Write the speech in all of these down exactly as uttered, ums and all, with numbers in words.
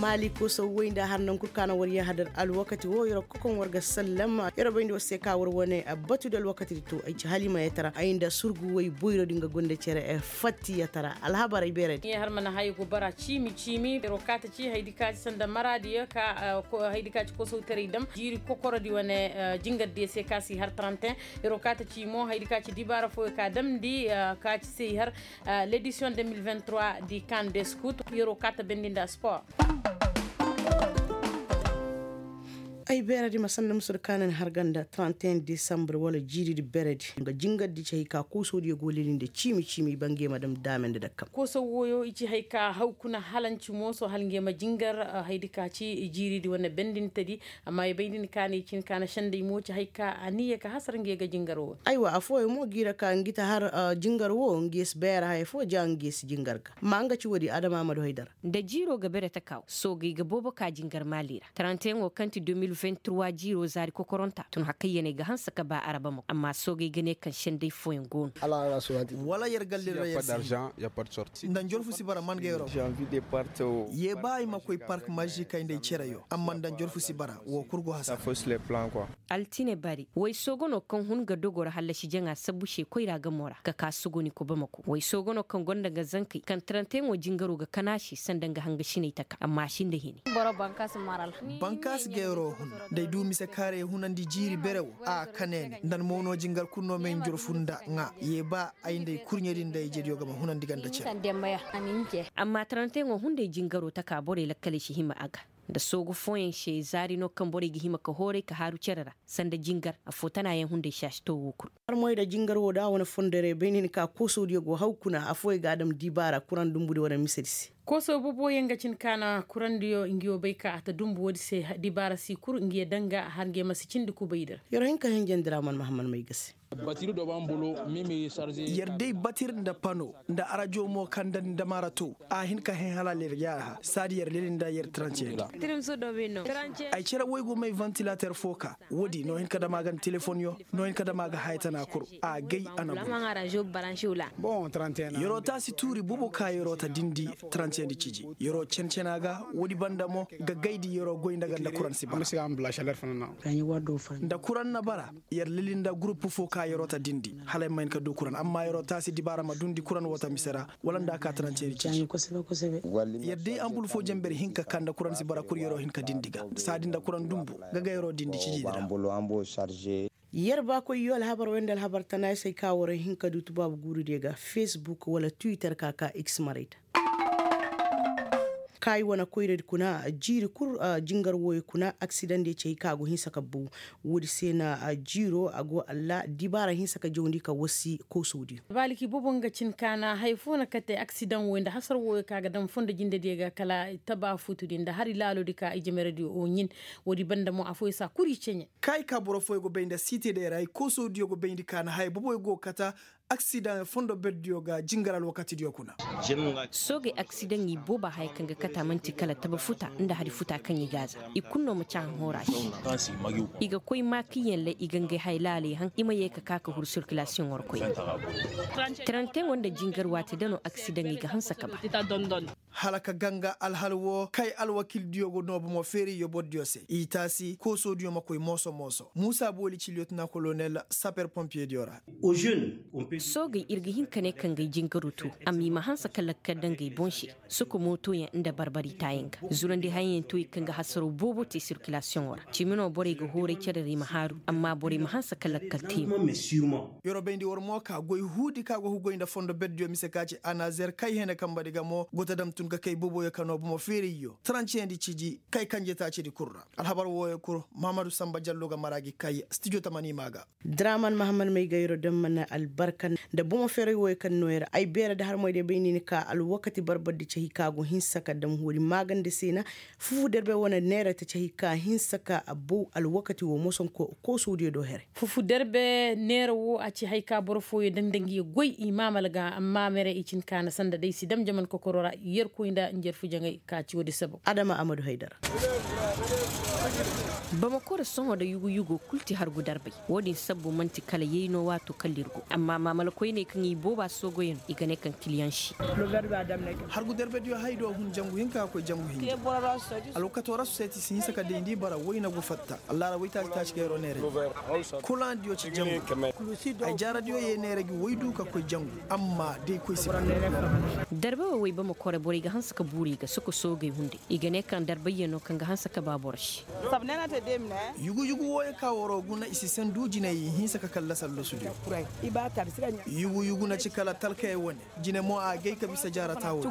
Maali koosawwey nda har nankul ka na war yahadar alwakati wo yer wo kokoŋ war ga sallam. Yer wo bayndi war se ka war wane batu da alwakati di to ay ci halimayetara ay nda surguwey boyro din ga gonda cere fattiyetara alhabarey beerey di. Yer har mana haya go bara ciimi ciimi yer wo kaata ci haydi ka ci sanda maraadiyo ka haydi ka ci koosawtaray dam jiiri kokorodi wane jingardiyo se ka si har trente. Yer wo kaata ci mo haydi ka ci dibaara fooyo ka damndi ka ci se i har l'edition deux mille vingt-trois di kan de scout. Yer wo kaata bendi nda sport. Ay beeredi ma sanda musu di ka na ni har ganda trente et un desambre wala jiiridi beeredi nga jingardi ci hay ka koosodiyo go leli nda ciimi ciimi i ba ngey ma dam daame nda dakkam. Kooso wooyo i ci hay ka haw kuna halanci mooso hala ngey ma jingar. Haydi ka ci jiiridi wane bendintedi. Amma i bay din ka na i cin ka na sendey mo ci hay ka a niya ka hasar ngey ga jingar woo. Aywa affooyaŋ mo g'i ra ka ngi ta har jingar woo ngi si beera haya foo ja ngi si jingar ga. Amma nga ci woodi adama ma du haydara. Nda jiiroo ga bere taka wo soogey ga boobo ka jingar maali ra taranteyaŋo kaŋ ti deux mille vingt-trois jiiroo zaari kokoronta tun hakayyaney ga hanse ka ba arabamako amma soogey ga ne kaŋ sendey fooyaŋ go no. Wala yer galle ra yer si hin nda njorfu si bara man ga yer wo. Ye ba ay ma koy park mazik ay nda ay cereyo amma nda njorfu si bara woo kul go hasara. Altine bari waysoogonoo kaŋ hun ga dogoo ra hallasi jaŋa sabbu se koyra gamo ra ka ka suguni ko bamako waysoogonoo kaŋ gonda nga zankey kaŋ taranteyaŋo jingaroo ga kan a se sanda nga hangasiney taka amma a si nda hini. Bankaasi ga yeroo hun nda ay du mise kaarey hunandi jiiri bere wo a kane ni nda ni mo no jingar kul no m'ay njorfu nda ŋaa ye ba ay nda ay kurɲedi nda ay jediyo ga ma hunandi ganda cere. Amma taranteyaŋo hunday jingaroo taka borey lakkaley si hima a ga nda soogu fooyaŋ se zaari no kaŋ borey ga hima ka hooray ka haaru cere ra sanda jingar affoo tanaayaŋ hunday se a si too woo kul. Armoy nda jingar woo da a wane fondorey bay na hin ka koosodiyo go haw kuna affooyaŋ ga a dam dibaara kuraŋ dumbudi wane misedi se. Kooso boboyaŋ ga cin ka na kurandiyo ngiyo bay ka a ta dumbu woodi se dibaara si kul ngiyo daŋ ga har ngiyo ma si cindi kubay di ra. Yer wo hin ka henjandi ra man mahammad may ga se. Yer day batir nda pano nda arajo mo kaŋ nda ni ndamaara to a hin ka hẽ hala yer jaara ha saadi yer leli nda yer tranceedi. Ay cere woy go may vantilater fo ka woodi no hin ka dam a ga nda telefonyo no hin ka dam a ga haya tana kul a gay a na bun. Yeroo taasi tuuri bobo ka yeroo ta dindi tranceedi ciji yeroo cen-cena ga woodi banda mo ga gaydi yeroo goy nda ga nda kuran si bara. Nda kuran na bara yer lili nda gurupu fo ka yeroo ta dindi hala ay ma hin ka du kuran amma yeroo taasi dibaara ma dundi kuran woo ta mise ra wala nda a ka taranceeri ciji. Yer day ambul fo jenber hinka ka nda kuran si bara kul yeroo hin ka dindi ga saadi nda kuran dumbu ga ga yeroo dindi ciji di ra. Yer baakoy yoo alhabar wey nda alhabar tanaayisey ka war hin ka du tubaabu guurudiyo ga facebook wala twitter ka ka x maray da. Kaayi wane koyradi kuna jiiri kul jingar wooyo kuna aksidandiyo ci hay ka a go hinsa ka bow. Woodi se na jiiro a go alla dibaara hinsa ka jawndi ka wasi koosodiyo. Baaliki boobo nga cin ka na haya fo na kate aksidan wooyo nda hasar wooyo ka ga dam fondo jindediyo ga kala taba fuutudi nda hari laaloodi ka i jemeradiyo o ɲin. Woodi banda mo affooyaŋ si a kuri ceɲe. Kaayi ka boro fooyaŋ go bay nda siitedey ra i koosodiyo go bayndi ka na haya booboyaŋ go kata aksidaŋ fondo berdiyo ga jingar alwakatidiyo kuna. Soogey aksidaŋ i booba haya kaŋ ga kata man'ti kala taba futa nda hari futa kaŋ i gaaza i kul no ma caahaŋ hooraa se. I ga koy maakiyyaŋ lay i ga ngey haya laaley haŋ i ma yee ka ka ka huru sirkilasiyoŋo ra koy. Taranteyaŋo nda jingar waati da no aksidaŋey ga hanse ka ba. Hala ka ganga alhal woo kay alwakildiyo go noo bomo feerayyo bordiyo se i taasi koosodiyo ma koy mooso mooso muusa booli ci liyotina kolonel saper pompiyediyo ra. Soogey ir ga hin ka ne ka ngey jingaru tu amma i ma hanse ka lakkal da ngey boŋ se. Soko mootoyaŋ nda barbaritaayaŋ ga zurandi hayaŋ to i kaŋ ga hasaro boobo te sirkilasiyoŋo ra cimi no borey ga hooray cere ra i ma haaru amma borey ma hanse ka lakkal te. Yeroo bayndi war mo ka goy huudi ka go ga goy nda fondo berdiyo mise ka ci anazer kay hene kambadi ga mo go ta dam tun ga kay boboyo ka noo bomo feerayyo taranceyaŋ di ciji kay kanje taacidi kul ra. Alhabar wooyo kul mahamadu samba jallo ga mara gi kay stijo tamani maa ga. Draman mahamad may ga yeroo dam mana albarka nda bomo feeray wooyo kaŋ noo yer ay beeradi har moy day bay ni ni ka alwakati barbardi cahi ka go hinsa ka dam hoori maaganda se na. Fufu derbe wane neera ta ci hay ka hinsa ka a bow alwakati wo moson koosodiyo do here. Fufu derbe neera wo a ci hay ka boro fooyo daŋ da ngi goy i maamal ga amma mere i cin kaana sanda day si dam jaman kokoro ra yerkoy nda njarfu jaŋay ka ci woodi sabab adama amadu haydara. Bamako ra sohõ da yugu-yugo kul ti hargu darbay. Wo-din sabbu man'ti kala yayno waato kala ir go amma ma. Malakoyney kaŋ i booba soogoyaŋ i ga ne kaŋ kiliyaŋ si. Hargu darbediyo hay do hun jangu hinka ka koy jangu hinja. Alwakato rasu seeti si hinsa ka dayndi bara wayna go fatta allaara waytaaci taaci gayro neerey. Kulaŋ diyo ci jangu. Ay jaaradiyo ye neerey gi waydu ka koy jangu. Amma day koy si. Darba wo way bama kore borey ga hanse ka buuri i ga soko soogey hunday i ga ne kaŋ darbayyaŋ no kaŋ ga hanse ka ba boro se. Yugu yugu wooyo ka woro guna i si sandu jinay i hinsa ka kalla sallosu diyo. Yugu yugu na ci kala talkayey wane. Jine mo a gay ka bisa jaarata wo.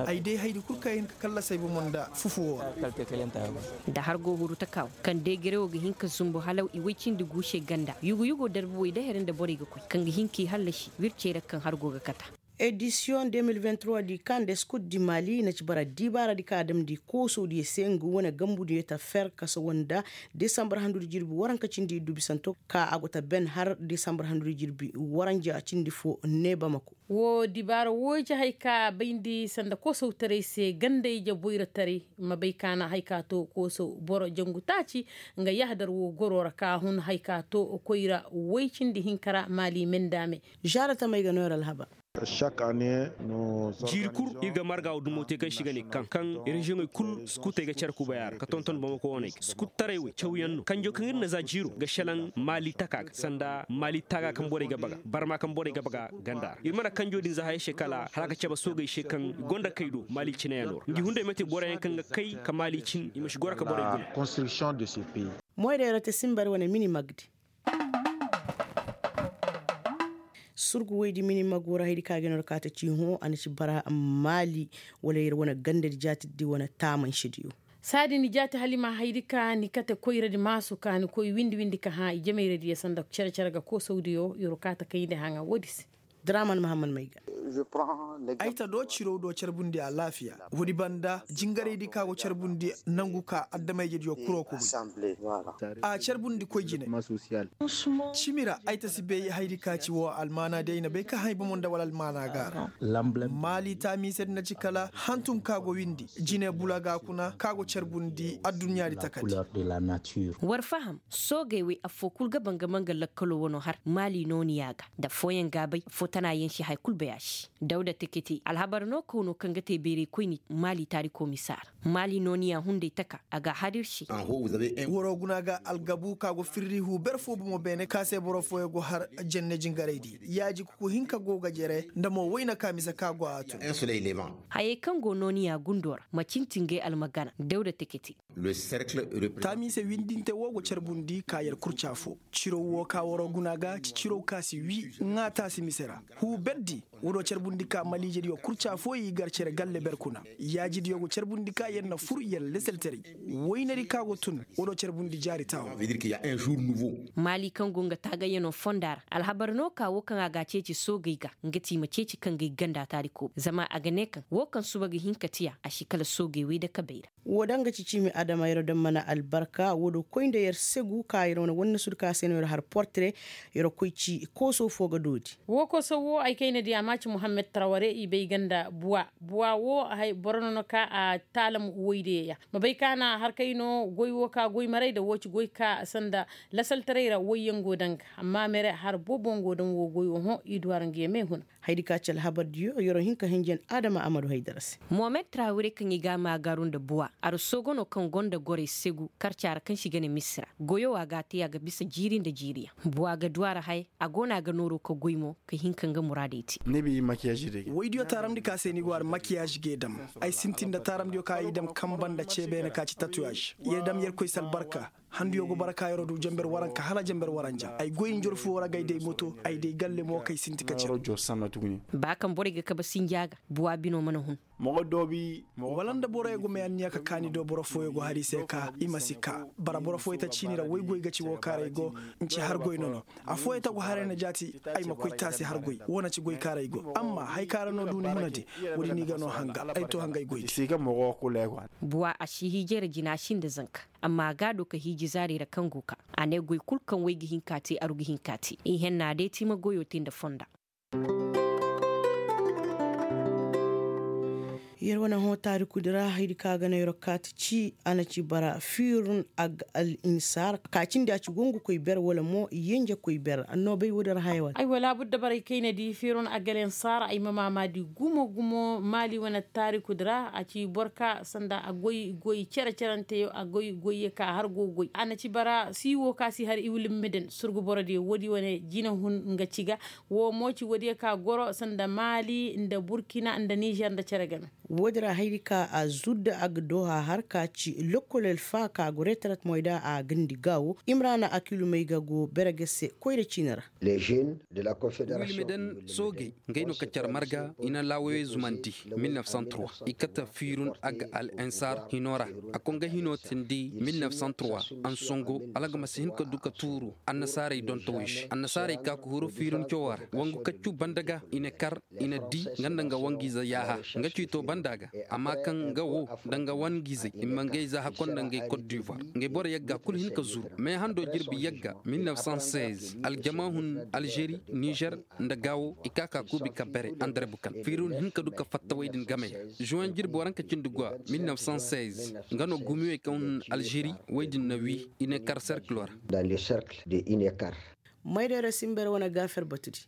Ay day haydi kul kaŋ ay hin ka kalla say bomo nda fufu wo ra. Da har go huru taka wo kaŋ day gere wo ga hin ka zumbu hala i way cindi guuse ganda yugu yugo darbuwey da here nda borey ga koy kaŋ ga hin k'i hallasi wircey ra kaŋ har go ga kata. Edisiyoŋ de mil vingt trois di kaŋ nda skut di mali na ci bara diibaara di kaŋ a damndi koosow diyo se nga wane gambu diyo ta fer kasa wanda desambar handudi jirbi waranka cindi iddu bisanto ka a go ta ben har desambar handudi jirbi waranja cindi fo ne bamako. Woo dibaara wooyo ci hay ka bayndi sanda koosawtaray se gandey jaboyra taray ma bay ka na hay ka to koosaw boro jangu taaci nga yahadar woo goro ra ka hun hay ka to koyra woy cindi hinka ra maali mendaame. Zaara tamey ga no yer alhabar. Jiiri kul ir ga marga wo dumo te kaŋ se i ga ne kaŋ kaŋ reziyoŋey kul skutey ga care kubaya ra ka tonton bamako waney ga skuttaray wey cawyaŋ no kanjo kaŋ ir na za jiiro ga šelaŋ maali taka ga sanda maali taaga kaŋ borey ga baga barma kaŋ borey ga baga ganda ra ir mana kanjo din za hayey se kala hala a ga cabe soogey se kaŋ i gonda kay do maali cineyaŋo ra ngi hunday mate boroyaŋ kaŋ ga kay ka maali cin i ma si goro ka borey guna. Moyday ra te simbar wane mini magdi. Surgu woy di mini mago ra haydi ka ga no ra ka ta ci hõ a na ci bara maali wala yer wane ganda di jaati di wane taamansi diyo. Saadi ni jaati hala i ma haydi ka ni kate koyra di maasu ka ni koy windi windi ka hã i jamayra diyo sanda cere cere ga koosawdiyo yer ka ta kayndi haŋa woodi se. Draman mahammad mayga. Ay ta do ciro do carbundi alaafiya. Woodi banda jingaraydi ka go carbundi nangu ka addamayjediyo kuro kubi. A carbundi koy jine. Cimi ra ay ta si bay haydi ka ci wo almaana day na bay ka hay bomo nda wala almaana ga ra. Maali taamiisedi na ci kala hantum ka go windi jine bula ga kuna ka go carbundi adduɲɲaadi takandi. War faham soogey wey affoo kul ga banga manga lakkaloo wanoo har maali nooniyaa ga nda affooyaŋ gaabay affoo tanaayaŋ si haya kul bay a se. Dawda tekete alhabar no kaw no kaŋ ga te bayraykoyni maali taarikoo misa ra. Maali nooniyaa hunday taka a ga a har ir se. Waroo guna ga algabu ka go firri huu ber foo bomo beene ka se boro fooyaŋ go har jenne jingaraydi yaaji kuku hinka go ga jere nda mo wayna ka mise ka go a tun. Hayey kaŋ go nooniyaa gundoo ra ma cinti ngey almagana dawda tekete. Taamiise windinte wo go carbundi ka yer kurca fo. Cirow wo ka waroo guna ga ci cirow ka si wii ŋaa taasi mise ra. Huu berdi. Woodoo carbundi ka maliijediyo kurca fo i gar cere galle ber kuna. Yaajidiyo go carbundi ka yer na fur yer leselteray. Waynadi ka go tun woodoo carbundi jaari taawo. Maali kaŋ go nga taagayyanoo fonda ra alhabar no ka wo kaŋ a ga a ceeci soogey ga nga ti i ma ceeci kangey ganda taarikoo zama a ga ne kaŋ wo kaŋ suba ga hin ka tiya a si kala soogey wey dakabey ra. Woo daŋ ga ci ciimi adama yer daŋ mana albarka woo do koy nda yer segu ka yer wane wanne sudu ka se no yer har portire. Yer koy ci kooso foo ga doodi. Woo kooso woo ay kayna di a ma ci muhammed taraware i bay ga nda buwa buwa woo boro no no ka a taalam woydeya. Ma bay ka na harkay no goy woo ka goy maray nda woo ci goy ka sanda lasaltaray ra woyyaŋ go daŋ ga amma mere har boobo ngo daŋ woo goy woo hõ i du har nga yamey huna. Haydi ka ci alhabardiyo yeroo hin ka hinjan adama amadu haydara se. Mohamed trawire kaŋ i ga a maagaaru nda buwa arsogo no kaŋ go nda gorey segu karca ra kaŋ se i ga ne misira goyo a ga a te a ga bisa jiiri nda jiiriyaŋ. Buwa ga du a ra haya a go no a ga nooroo ka goy mo ka hin ka nga muraadey te. Waydiyo taaramndi ka se ni go a ra makiyaaz g'ay dam. Ay sintin nda taaramndiyo ka i dam kanba nda cee beene ka ci tatuyaz. Yer dam yerkoy se albarka. Handuyo go bara ka yeroo du janber waranka hala janber waranja ay goy njorfu woo ra g'ay day moto ay day galle mo kay sinti ka cere. Ba kaŋ borey ga kabe sinja ga buwa bino mana hun. Wala nda boroyo go may anniya ka kaani do boro fooyo go har i se ka i ma si kaa bara boro fooyo ta ciini ra woy goy ga ci woo kaaray go. Nci har goy nono. Afooyo ta go haray na jaati ay ma koy taasi har goy woo na ci goy kaaray go amma hay kaŋ ra no du ni huna di. Woodi no i ga no hanga ay to hangay goy di. Buwa a si hiijay ra jina a sinda zanka. Amma a ga a do ka hiiji zaarey ra kaŋ go ka a ne goy kul kaŋ way ga hin ka te aru ga hin ka te i henna day te i ma goyo te nda fonda. Yer wane hõ taarikudi ra haydi ka ga na yer kaati ci a na ci bara fiirun ag al insaar ka cindi a ci gongu koy ber wala mo yenje koy ber. Annoobay woodi ra haya wane ay wala bur dabarey kayna di fiirun ag al insaar ay ma maamaadi gumo gumo maali wane taarikudi ra a ci boro ka sanda a goy goy cere-ceranteyo a goy goyye ka har go goy a na ci bara siiwo ka si har iwulimmiden surgu borodiyo woodi wane jinahun nga ci ga. Wo mo ci woodiyo ka goro sanda maali nda burkina nda nizer nda cere game. Woodi ra hayri ka a zudda a ga dooha har ka ci lokkol alfa ka go reterat moyda a gandi gaawo imrana akilumey ga go bere ga se koyra ciini ra. Wilmiden soogey ngey no ka car marga i na laawayey zumandi. Mil nef san trois i kate fiirun ag al insaar hino ra. A koy nga hino tindi mil nef san trois ansongo hala nga ma si hin ka du ka tuuru. Annasaarey dontowey se annasaarey ka ka huru fiirun cawoo ra wangu kaccu banda ga i na kar i na di nga nda nga wangiize yaaha. Nga ciito banda ga amma kaŋ nga wo nda nga wangiizey i ma ngey za hakko nda ngey kot divoir. Ngey boro yagga kul hin ka zuru mais hando jirbi yagga mil nef san seize aljama hun alžeri nizer nda gaawo i ka ka kuubi ka bere andare bukan fiirun hin ka du ka fatta wey din game ra. Zuwen jirbi waranka cindi go a mil nef san seize nga no gumiwey kaŋ hun alžeri wey din na wii i ne kar serkilo ra. Mayday ra simber wane gaafer batudi.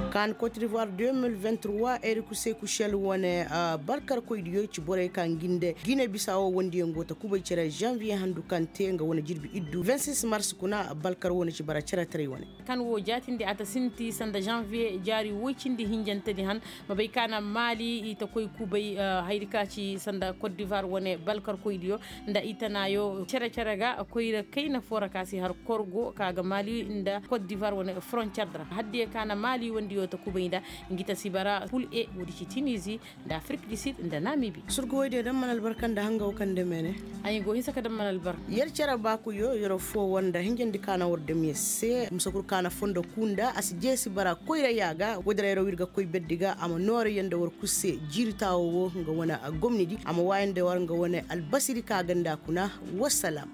Kaan kot divoir deux mille vingt trois eriku sekushel wane balkarkoydiyo ci borey ka ngi nda gine bisa wo wondiyaŋ go ta kubay cere janvier handu kaŋ te nga wane jirbi iddu vingt six mars kuna balkar wane ci bara ceretaray wane. Kaŋ wo jaatindi a ta sinti sanda janvier jaari woy cindi hinjantedi han ma bay ka na maali i ta koy kubay hayri ka ci sanda kot divoir wane balkarkoydiyo nda i tanaayo cere-cere ga koyra kayna foo ra ka si har korgo ka ga maali nda kot divoir wane frontier ra haddiya ka na maali wandiyo ta kubay nda ngi ta si bara kul e woodi ci tinizi nda afrik du sud nda namibi. Surgo woy diyo daŋ mana albarka nda hanga wo kaŋ nda meene. Ay go hinsa ka daŋ mana albarka. Yer cere baakuyo yer foo war nda hinjandi ka na war dam yer se musa kul ka na fondo kuu nda a si jeesi bara koyra ya ga woodi ra yer wo ir ga koy berdi ga a ma noora yer nda war kul se jiiri taawo wo nga wane gomnidi a ma waaya nda war nga wane albasiri ka ga nda kuna. Wassalam.